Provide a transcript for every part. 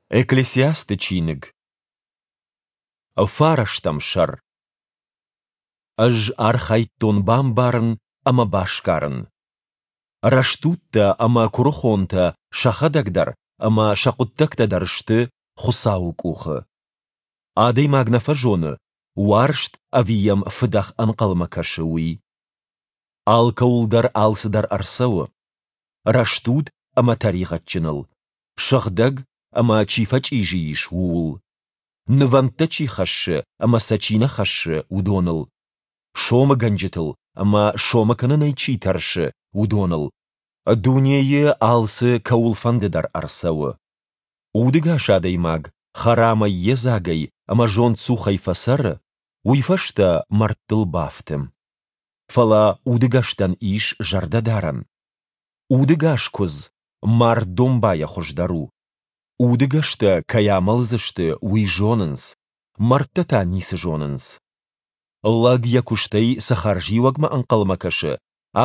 Экклесиасты чиныг, фарӕстӕм сӕр. Ӕз архайдтон бамбарын ӕмӕ басгарын. Рӕстудтӕ ӕмӕ куырыхонтӕ сӕхӕдӕг дӕр ӕмӕ сӕ хъуыддӕгтӕ дӕр сты Хуыцауы къухы. Адӕймаг нӕ фӕзоны, уарзт ӕви йӕм фыдӕх ӕнхъӕлмӕ кӕсы, уый. Алкӕуыл дӕр алцыдӕр ӕрцӕуы. Рӕстуд ӕмӕ тӕригъӕдджыныл, сыгъдӕг ӕмӕ чи фӕчъизи ис, ууыл, нывӕндтӕ чи хӕссы ӕмӕ сӕ чи нӕ хӕссы, уыдоныл, сомыгӕнджытыл ӕмӕ сомы кӕнынӕй чи тӕрсы, уыдоныл. Дунейы алцы кӕуылфӕнды дӕр ӕрцӕуы. Удыгас адӕймаг хӕрамӕй йедзагӕй ӕмӕ зондцухӕй фӕцӕры, уый фӕстӕ мӕрдтыл бафты. Фӕлӕ удыгӕстӕн ис зӕрдӕдарӕн. Удыгас куыдз мард домбайӕ хуыздӕр у. Удыгӕстӕ кӕй амӕлдзысты, уый зонынц, мӕрдтӕ та ницы зонынц. Лӕг йӕ куыстӕй цы хӕрзиуӕгмӕ ӕнхъӕлмӕ кӕсы,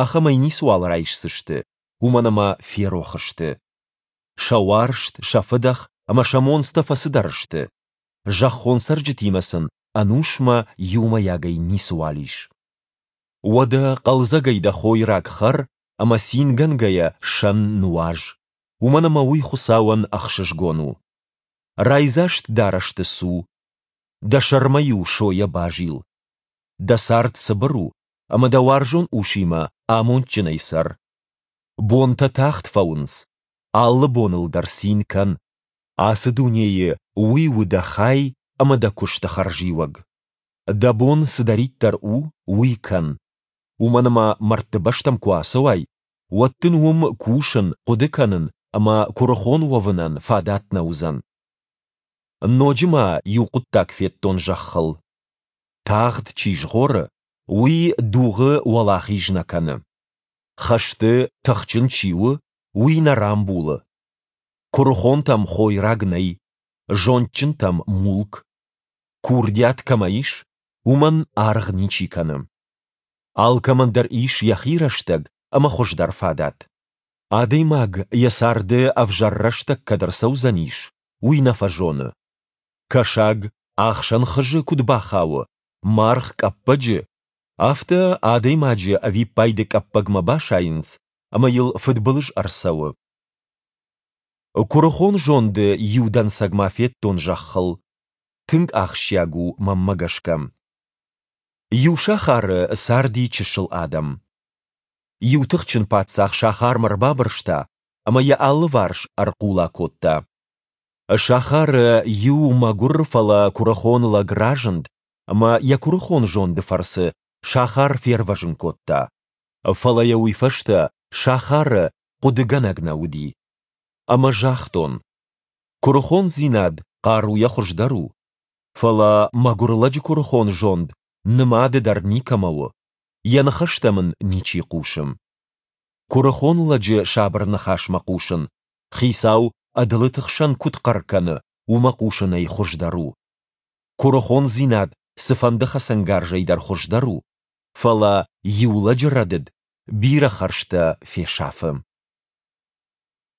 ахӕмӕй ницыуал райсдзысты, уымӕн ӕмӕ ферох сты. Сӕ уарзт, сӕ фыдӕх ӕмӕ сӕ монцтӕ фӕцыдӕр сты. Зӕххон цӕрджытимӕ сын ӕнусмӕ иумӕйагӕй ницыуал ис. Уӕдӕ хъӕлдзӕгӕй дӕ хойраг хӕр ӕмӕ цингӕнгӕйӕ сӕн нуаз, уымӕн ӕмӕ уый Хуыцауӕн ӕхсызгон у. Райдзаст дарӕсты цу, дӕ сӕрмӕ-иу сойӕ базил. Дӕ цард цыбыр у, ӕмӕ дӕ уарзон усимӕ амондджынӕй цӕр. Бонтӕ тагъд фӕуынц, алы боныл дӕр цин кӕн. Ацы дунейы уый у дӕ хай ӕмӕ дӕ куысты хӕрзиуӕг. Дӕ бон цыдӕриддӕр у, уый кӕн. Уымӕн ӕмӕ мӕрдты бӕстӕм куы ацӕуай, уӕд дын уым кусын, хъуыды кӕнын ӕмӕ куырыхон уӕвынӕн фадат нӕ уыдзӕн. Ноджы ма иу хъуыддаг федтон зӕххыл. Тагъд чи згъоры, уый дугъы уӕлахиз нӕ кӕны. Хӕсты тыхджын чи у, уый нӕ рамбулы. Куырыхонтӕм хойраг нӕй, зондджынтӕм мулк. Курдиат кӕмӕ ис, уымӕн аргъ ничи кӕны. Алкӕмӕн дӕр ис йӕхи рӕстӕг ӕмӕ хуыздӕр фадат. Адӕймаг йӕ царды ӕвзӕр рӕстӕг кӕд ӕрцӕудзӕнис, уый нӕ фӕзоны. Кӕсаг ӕхсӕн хызы куыд бахауы, маргъ къӕппӕджы, афтӕ адӕймаджы ӕвиппайды къӕппӕгмӕ басайынц ӕмӕ йыл фыдбылыз ӕрцӕуы. Куырыхон зонды иу дӕнцӕг ма федтон зӕххыл. Тынг ахсджиаг у мӕнмӕ гӕсгӕ. Иу сахары царди чысыл адӕм. Иу тыхджын паддзах сахармӕ рбабырста ӕмӕ йӕ алыварс ӕрхъула кодта. Сахары иу мӕгуыр, фӕлӕ куырыхон лӕг разынд ӕмӕ йӕ куырыхон зонды фӕрцы сахар фервӕзын кодта. Фӕлӕ йӕ уый фӕстӕ сахары хъуыдыгӕнӕг нӕ уыди. Ӕмӕ загътон, куырыхондзинад хъаруйӕ хуыздӕр у, фӕлӕ мӕгуыр лӕджы куырыхон зонд нымады дӕр никӕмӕ у, йӕ ныхӕстӕм ын ничи хъусы. Куырыхон лӕджы сабыр ныхасмӕ хъусын, хицау ӕдылыты хсӕн куыд хъӕр кӕны, уымӕ хъусынӕй хуыздӕр у. Куырыхондзинад цыфӕнды хӕцӕнгарзӕй дӕр хуыздӕр у, фӕлӕ иу лӕджы рӕдыд бирӕ хӕрзтӕ фесафы.